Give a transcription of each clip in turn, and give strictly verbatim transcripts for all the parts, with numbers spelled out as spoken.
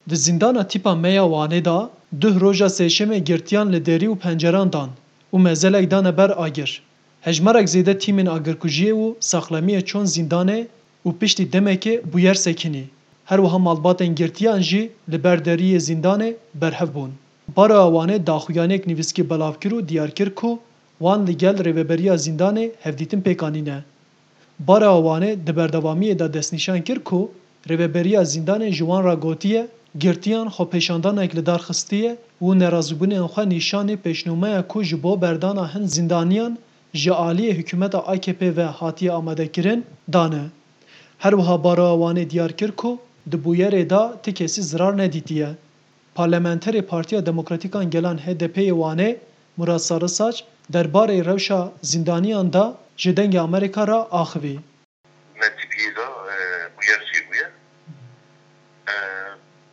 Di zîndana tîpa me ya Wanê de duh roja sêşemê girtiyan li derî û penceran dan û mezelek dane ber agir. Hejmarek zêde tîmên agirkujiyê û saxlemiyê çûn zîndanê û piştî demekê bûyer sekinî. Her wiha malbatên girtiyan jî li ber deriyê zîndanê berhev bûn. Baroya Wanê daxuyaniyek nivîskî belav kir û diyar kir ku wan li gel rêveberiya zîndanê hevdîtin pêk anîne. Baroya Wanê di berdewamiyê de destnîşan kir ku rêveberiya zîndanê ji wan re gotiye, girtiyan xwepêşandanek li dar xistiye û nerazîbûnên xwe nîşanî pêşnûmeya ku ji bo berdana hin zîndaniyan ji aliyê hikûmeta A K P ve hatiye amadekirin, dane. Her wiha Baroya Wanê diyar kir ku di bûyerê de ti kesî zirar nedîtiye. Parlamenterê Partiya Demokratîk a Gelan H D P'ê yê Wanê, Murat Sarısaç, derbarê rewşa zîndaniyan de ji Dengê Amerîka re axivî. Me tîpiyê de, e, bûyer çêbûye. E,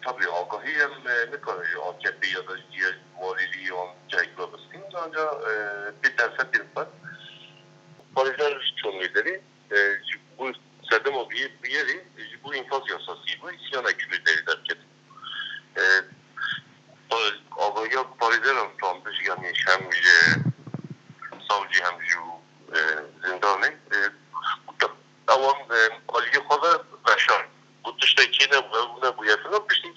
tabî agahî em, e, nikarin ji A K P ya da ji diğer walîlî yan cihek ve bistînin, ancak, e, pê derfetên xwe parêzer çûn wê derê, e, ji bo sedema bûye-, bûyerê, ji bo înfaz yasasî bû, îsyanek ji wê derê derket. E, pa-, agahiya parêzeran strandiş, yanî hem ji savcî hem ji, e, zindanê, e, ewan, e, aliyê xwe ve veşan. Got tiştek çê nebû, ew nebûye filan. Piştî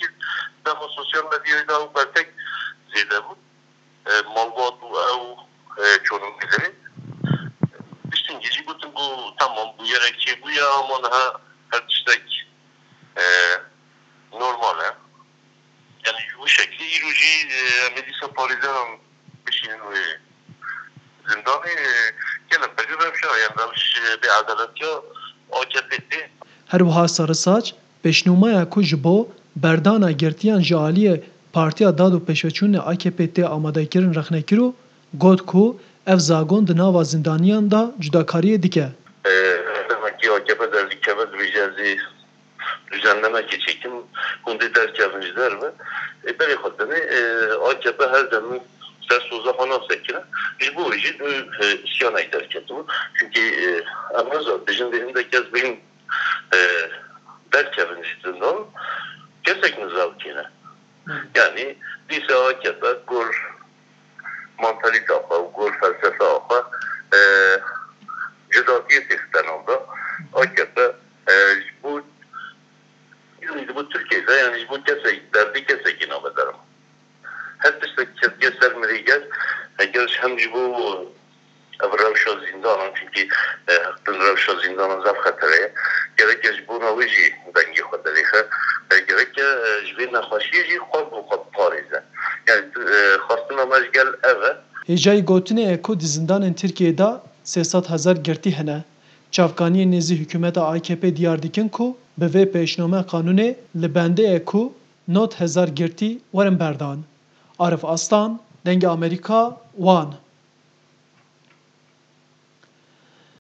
dema sosyal medyayê de ew bertek zêde bû. E, malbat û ew, e, çûn wê derê. Piştî jî gotin ku tamam, bûyerek çêbûye, ama niha her tiştek, e, normal e. Yani ji wî şeklî îro jî, e, em ê dîsa parêzeran bişînin wê zindanê, e, gelek berî rewşa, yani rewş, e, bêedaletiya A K P tê. Her wiha Sarısaç pêşnûmeya ku ji bo berdana girtiyan ji aliyê Partiya Dad û Pêşveçûnê A K P tê amadekirin rexne kir û got ku ev zagon di nava zindaniyan de cudakariyê dike. E, demekî A K P derdikeve, dibêje ez ê düzenlemekê çêkim, hûn dê derkevin ji derve. E, berê xwe dinê, e, A K P her dem ser soza xwe nasekine. Ji bo wê jî dû, e, îsyanek derketibû. Çunkî, e, em niza dijin dê hindek kes bên, e, derkevin ji zindan, kesek niza dikine. Yanî dîsa A K P gor mantalîta xwe û gor felsefeya xwe, e, cudatiyê têxiste nav de. A K P, e, ji bo, ji bo Tirkiyê de, yanî ji bo kesek, derdê kesekî nave derman. Her tiştek ketiye ser mirî gel, eger hem ji bo ev rewşa zîndanan, çunkî, e, heqdin rewşa zîndanan zaf xetere ye. Gereke ji bona wê jî dengê xwe derêxe. E, gereke, e, ji vê nexweşiyê jî xwe bi xwe biparêze. Yani, e, xwestina me ji gel ev e. Hêjayî gotinê ye ku di zindanên Tirkiyeyê de sê sed hezar girtî hene. Çavkaniyên nêzî hikûmeta A K P diyar dikin ku bi vê pêşnome qanûnê li bendê ye ku nod hezar girtî werin berdan. Arif Aslan, Dengê Amerîka, Wan.